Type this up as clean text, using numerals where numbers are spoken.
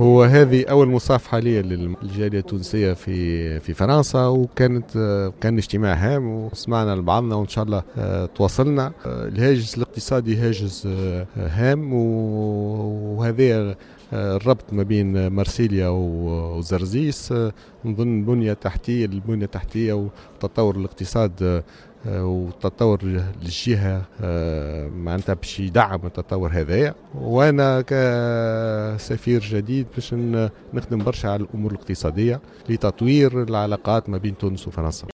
هو هذه أول مصافحة لي للجالية التونسية في فرنسا، كان اجتماع هام وسمعنا لبعضنا وإن شاء الله تواصلنا. الهاجس الاقتصادي هاجس هام، وهذا الربط ما بين مارسيليا وزرزيس نظن البنية التحتية وتطور الاقتصاد وتطور الجهة معناتها باش يدعم التطور هذايا. وانا كسفير جديد باش نخدم برشا على الامور الاقتصادية لتطوير العلاقات ما بين تونس وفرنسا.